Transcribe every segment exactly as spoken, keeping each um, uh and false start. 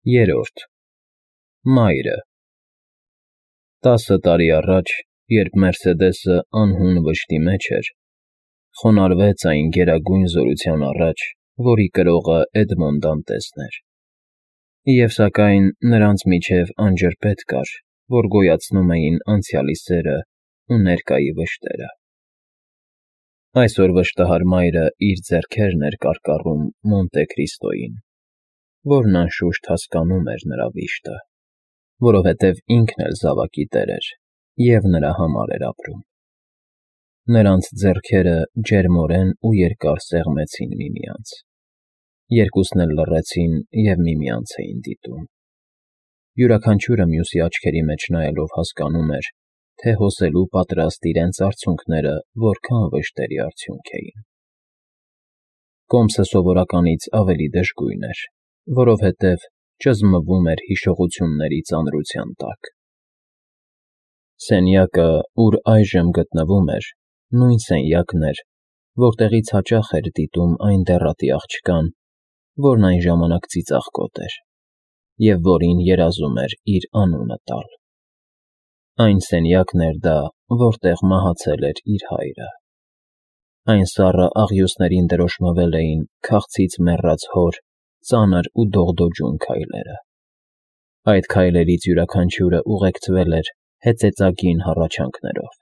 Երրորդ Մայրը Տասը տարի առաջ, երբ Մերսեդեսը անհուն վշտի մեջ էր, խոնարհվեց այն գերագույն զորության առաջ, որի կրողը Էդմոն Դանտեսն էր, և սակայն նրանց միջև անջրպետ կար, որ գոյացնում էին անցյալի սերն ու ներկայի վշտերը։ Այսօր վշտահար մայրը իր ձեռքերն էր կարկառում Մոնտե Քրիստոյին, որն անշուշտ հասկանում էր նրա վիշտը, որովհետև ինքն էլ զավակի տեր էր և նրա համար էր ապրում։ Նրանց ձեռքերը ջերմորեն ու երկար սեղմեցին միմյանց, երկուսն էլ լռեցին և միմյանց էին դիտում։ Յուրաքանչյուրը մյուսի աչքերի մեջ նայելով հասկանում էր, թե հոսելու պատրաստ իրենց արցունքները որքան վշտերի արդյունք էին։ Կոմսը սովորականից ավելի դժգույն էր, որովհետև ճզմվում էր հիշողությունների ծանրության տակ։ Սենյակը, ուր այժմ գտնվում էր, նույն սենյակն էր, որտեղից հաճախ էր դիտում այն դեռատի աղջկան, որն այն ժամանակ ծիծաղկոտ էր, և որին երազում էր իր անունը տալ։ Այն սենյակն էր դա, որտեղ մահացել էր իր հայրը։ Այն սառը աղյուսներին դրոշմվել էին քաղցից մեռած հոր ծանր ու դողդոջուն քայլերը։ Այդ քայլերից յուրաքանչյուրը ուղեկցվել էր հեծեծագին հառաչանքներով,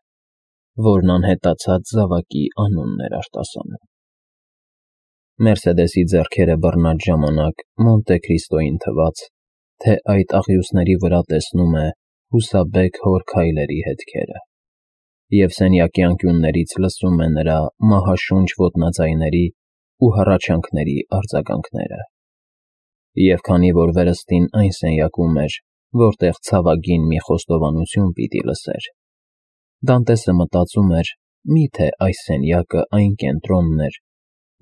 որն անհետացած զավակի անունն էր արտասանում։ Մերսեդեսի ձեռքերը բռնած ժամանակ Մոնտե Քրիստոյին թվաց, թե այդ աղյուսների վրա տեսնում է հուսաբեկ հոր քայլերի հետքերը, և սենյակի անկյուններից լսում է նրա մահաշունչ ոտնաձայների ու հառաչանքների արձագանքները։ Եվ քանի որ վերստին այն սենյակում էր, որտեղ ցավագին մի խոստովանություն պիտի լսեր, Դանտեսը մտածում էր, մի՞թե այս սենյակը այն կենտրոնն էր,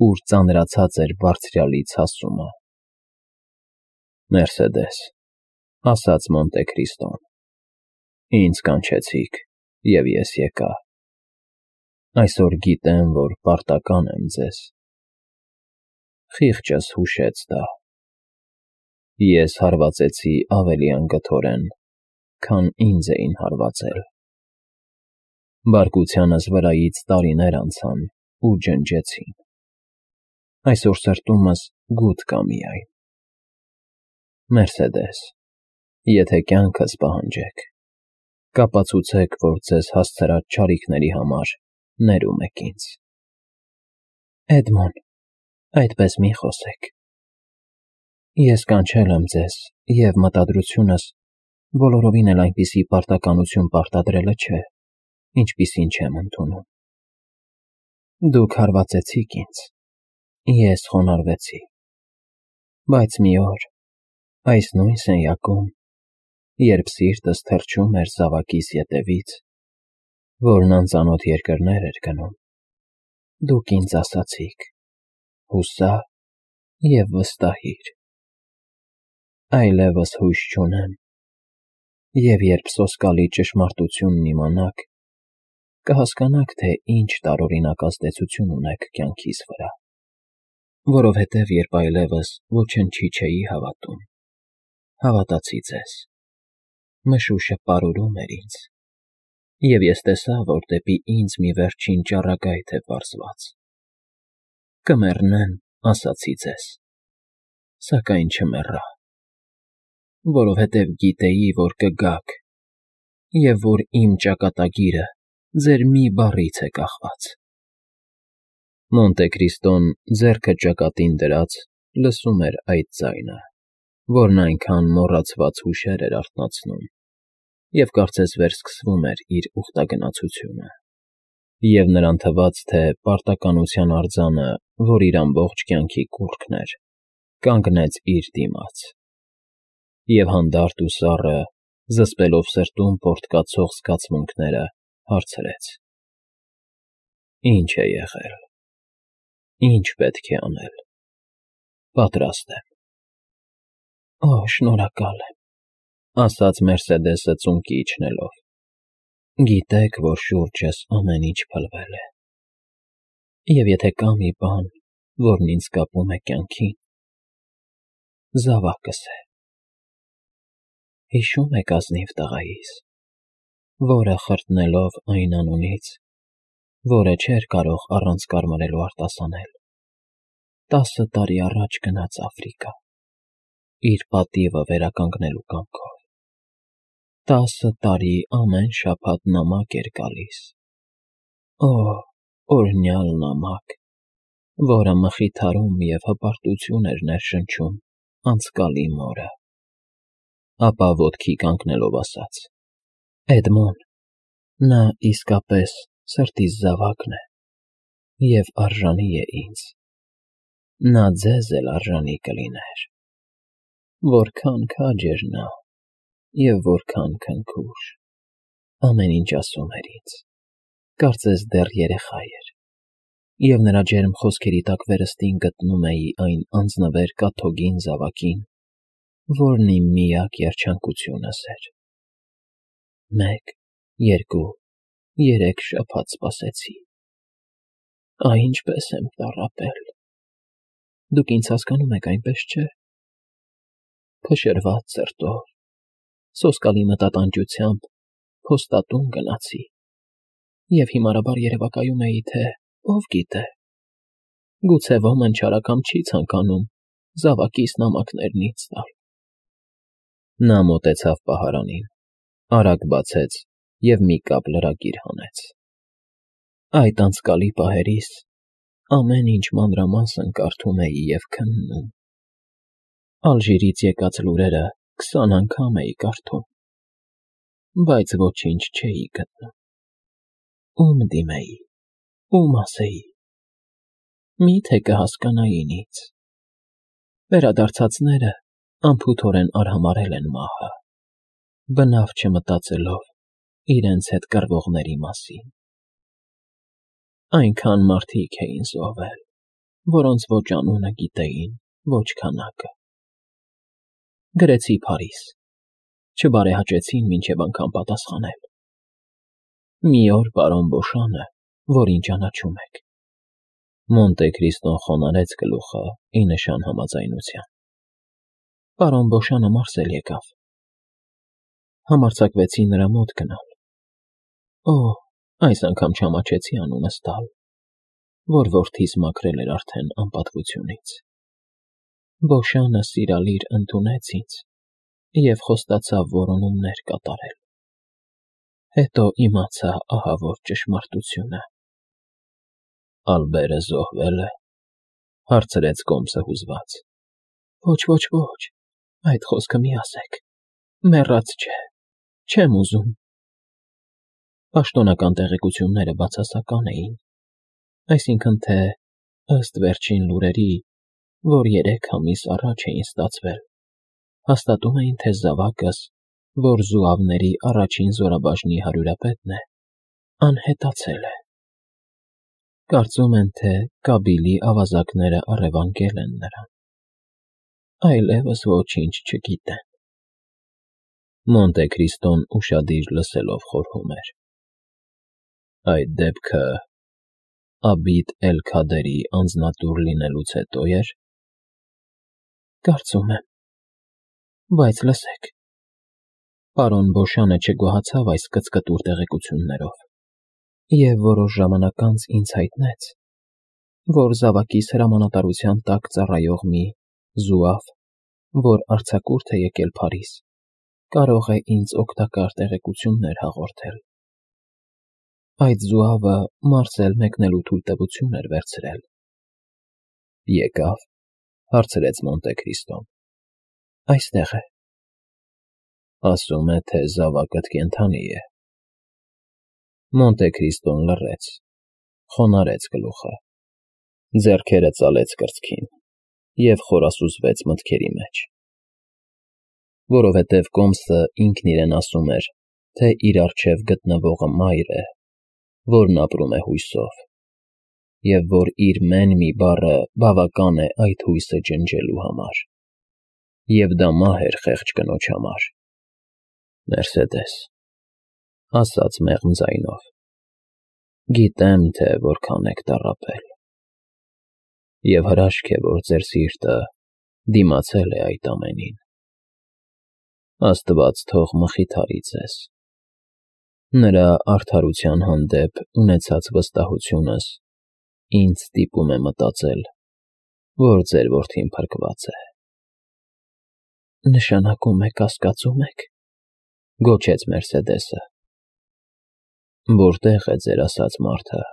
ուր ծանրացած էր Բարձրյալից հասումը։ Մերսեդես, ասաց Մոնտե Քրիստոն, ինձ կանչեցիք, և ես եկա։ Այսօր գիտեմ, որ պարտական եմ ձեզ։ Խիղճս հուշեց դա։ Ես հարվածեցի ավելի անգթորեն, քան ինձ էին հարվածել։ Բարկությանս վրայից տարիներ անցան ու ջնջեցին։ Այսօր սրտումս գութ կա միայն։ Մերսեդես, եթե կյանքս պահանջեք, կապացուցեք, որ ձեզ հասցրած չարիքների համար ներում եք ինձ։ Էդմոն, այդպես մի խոսեք։ Ես կանչել եմ ձեզ, և մտադրությունս բոլորովին էլ այնպիսի պարտականություն պարտադրելը չէ, ինչպիսին չեմ ընդունում։ Դուք հարվածեցիք ինձ, ես խոնարհվեցի, բայց մի օր, այս նույն սենյակում, երբ սիրտս թրջում էր զավակիս ետևից, որն անծանոթ երկրներ էր գնում, դուք ինձ ասացիք. «Հուսա և վստահիր»։ Այլևս հույս չունեմ, և երբ սոսկալի ճշմարտությունն իմանաք, կհասկանաք, թե ինչ տարօրինակ ազդեցություն ունեք կյանքիս վրա, որովհետև երբ այլևս ոչնչի չէի հավատում, հավատացի ձեզ, մշուշը պարուրում էր ինձ, և ես տեսա, որ դեպի ինձ մի վերջին ճառագայթ է պարզված։ Կմեռնեմ, ասացի ձեզ, սակայն չմեռա, որովհետև գիտեի, որ կգաք, և որ իմ ճակատագիրը ձեր մի բառից է կախված։ Մոնտե Քրիստոն, ձեռքը ճակատին դրած, լսում էր այդ ձայնը, որն այնքան մոռացված հուշեր էր արթնացնում, և կարծես վերսկսվում էր իր ուխտագնացությունը։ Եվ նրան թվաց, թե պարտականության արձանը, որ իր ամբողջ կյանքի կուռքն էր, կանգնեց իր դիմաց։ Եվ հանդարտ ու սառը, զսպելով սրտում պոռթկացող զգացմունքները, հարցրեց. Ինչ է եղել։ Ինչ պետք է անել։ Պատրաստ եմ։ Օ, շնորհակալ եմ, ասաց Մերսեդեսը ծունկի իջնելով։ Գիտեք, որ շուրջս ամեն ինչ փլվել է։ Եվ եթե կա մի բան, որն ինձ կապում է կյանքին, զավակս է։ Հիշում եք ազնիվ տղայիս, որը խրտնելով այն անունից, որը չէր կարող առանց կարմարելու արտասանել, տասը տարի առաջ գնաց Աֆրիկա, իր պատիվը վերականգնելու կամքով։ Տասը տարի ամեն շաբաթ նամակ էր գալիս։ Օ, օրհնյալ նամակ, որը մխիթարում և հպարտություն էր ներշնչում անցկալի մորը։ Ապա ոտքի կանգնելով ասաց. «Էդմոն, նա իսկապես սրտիս զավակն է և արժանի է ինձ, նա ձեզ էլ արժանի կլիներ։ Որքան քաջ էր նա և որքան քնքուշ, ամեն ինչ ասում էր ինձ, կարծես դեռ երեխա էր, և նրա ջերմ խոսքերի տակ վերստին գտնում էի այն անձնվեր կաթոկին զավակին, որն իմ միակ երջանկությունս էր։ Մեկ, երկու, երեք շաբաթ սպասեցի։ Ահ, ինչպես եմ տառապել։ Դուք ինձ հասկանում եք, այնպես չէ՞։ Փշրված սրտով, սոսկալի մտատանջությամբ փոստատուն գնացի և հիմարաբար երևակայում էի, թե ով գիտե, գուցե ոմն չարակամ չի ցանկանում զավակիս նամակներն ինձ տալ։ Նա մոտեցավ պահարանին, արագ բացեց և մի կապ լրագիր հանեց։ Այդ անցկալի պահերիս ամեն ինչ մանրամասն կարդում էի և քննում։ Ալժիրից եկած լուրերը քսան անգամ էի կարդում, բայց ոչինչ չէի գտնում։ Ում դիմեի, ում ասեի, մի՞թե կհասկանային ինձ։ Վերադարձածները անփութորեն արհամարհել են մահը, բնավ չմտածելով իրենց հետ կռվողների մասին։ Այնքան մարդիկ էին զոհվել, որոնց ոչ անունը գիտեին, ոչ քանակը։ Գրեցի Փարիզ, չբարեհաճեցին մինչև անգամ պատասխանել։ Մի օր պարոն Բոշանը, որին ճանաչում եք։ Մոնտե Քրիստոն խոնարհեց գլուխը ի նշան համաձայնության։ Պարոն Բոշանը մարսել եկավ։ Համարձակվեցի նրա մոտ գնալ։ Օ, այս անգամ չամաչեցի անունս տալ, որ որդիս մաքրել էր արդեն անպատվությունից։ Բոշանը սիրալիր ընդունեց ինձ և խոստացավ որոնումներ կատարել։ Հետո իմացա ահավոր ճշմարտությունը։ Ալբերը զոհվե՞լ է, հարցրեց Կոմսը հուզված։ Ոչ, ոչ, ոչ, այդ խոսքը մի ասեք, մեռած չէ, չեմ ուզում։ Պաշտոնական տեղեկությունները բացասական էին, այսինքն թե, ըստ վերջին լուրերի, որ երեք ամիս առաջ էին ստացվել, հաստատում էին, թե զավակս, որ զուավների առաջին զորաբաժնի հարյուրապետն է, անհետացել է։ Կարծում են, թե Կաբիլի ավազակները առևանգել են նրան։ Այլևս ոչինչ չգիտեն։ Մոնտե Քրիստոն ուշադիր լսելով խորհում էր։ Այդ դեպքը Աբիդ էլ-Քադերի անձնատուր լինելուց հետո էր։ Կարծում եմ, բայց լսեք։ Պարոն Բոշանը չգոհացավ այս կծկտուր տեղեկություններով և որոշ ժամանակ անց ինձ հայտնեց, որ զավակիս հրամանատարության տակ ծառայող մի զուավ, որ արձակուրդ է եկել Փարիզ, կարող է ինձ օգտակար տեղեկություններ հաղորդել։ Այդ զուավը մարսել մեկնելու թույլտվություն էր վերցրել։ Եկավ, հարցրեց Մոնտե Քրիստոն։ Այստեղ է։ Ասում է, թե զավակդ կենդանի է։ Մոնտե Քրիստոն լռեց, խոնարհեց գլուխը, ձեռքերը ծալեց կրծքին և խորասուզվեց մտքերի մեջ։ Որովհետև Կոմսը ինքն իրեն ասում էր, թե իր առջև գտնվողը մայր է, որն ապրում է հույսով, և որ իր մեն մի բառը բավական է այդ հույսը ջնջելու համար, և դա մահ էր խեղճ կնոջ համար։ Մերսեդես, ասաց մեղմ ձայնով, գիտեմ, թե որքան եք տառապել, և հրաշք է, որ ձեր սիրտը դիմացել է այդ ամենին։ Աստված թող մխիթարի ձեզ։ Նրա արդարության հանդեպ ունեցած վստահությունս ինձ ստիպում է մտածել, որ ձեր որդին փրկված է։ Նշանակում է կասկածում եք, գոչեց Մերսեդեսը։ Որտե՞ղ է ձեր ասած մարդը,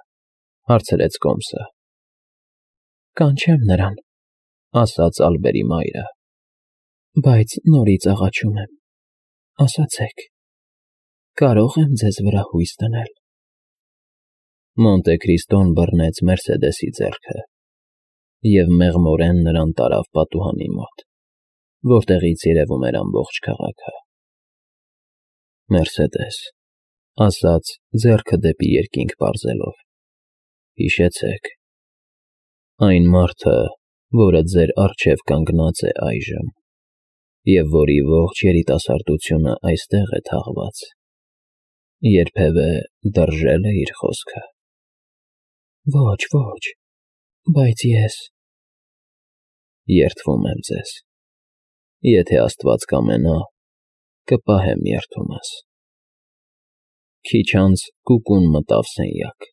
հարցրեց Կոմսը։ Կանչեմ նրան, ասաց Ալբերի մայրը, բայց նորից աղաչում եմ, ասացեք, կարո՞ղ եմ ձեզ վրա հույս դնել։ Մոնտե Քրիստոն բռնեց Մերսեդեսի ձեռքը և մեղմորեն նրան տարավ պատուհանի մոտ, որտեղից երևում էր ամբողջ քաղաքը։ Մերսեդես, ասաց ձեռքը դեպի երկինք պարզելով, հիշեցեք, այն մարդը, որը ձեր առջև կանգնած է այժմ, և որի ողջ երիտասարդությունը այստեղ է թաղված, երբևէ դրժե՞լ է իր խոսքը։ Ոչ, ոչ, բայց ես… Երդվում եմ ձեզ, եթե Աստված կամենա, կպահեմ երդումս։ Քիչ անց կուկուն մտավ սենյակ։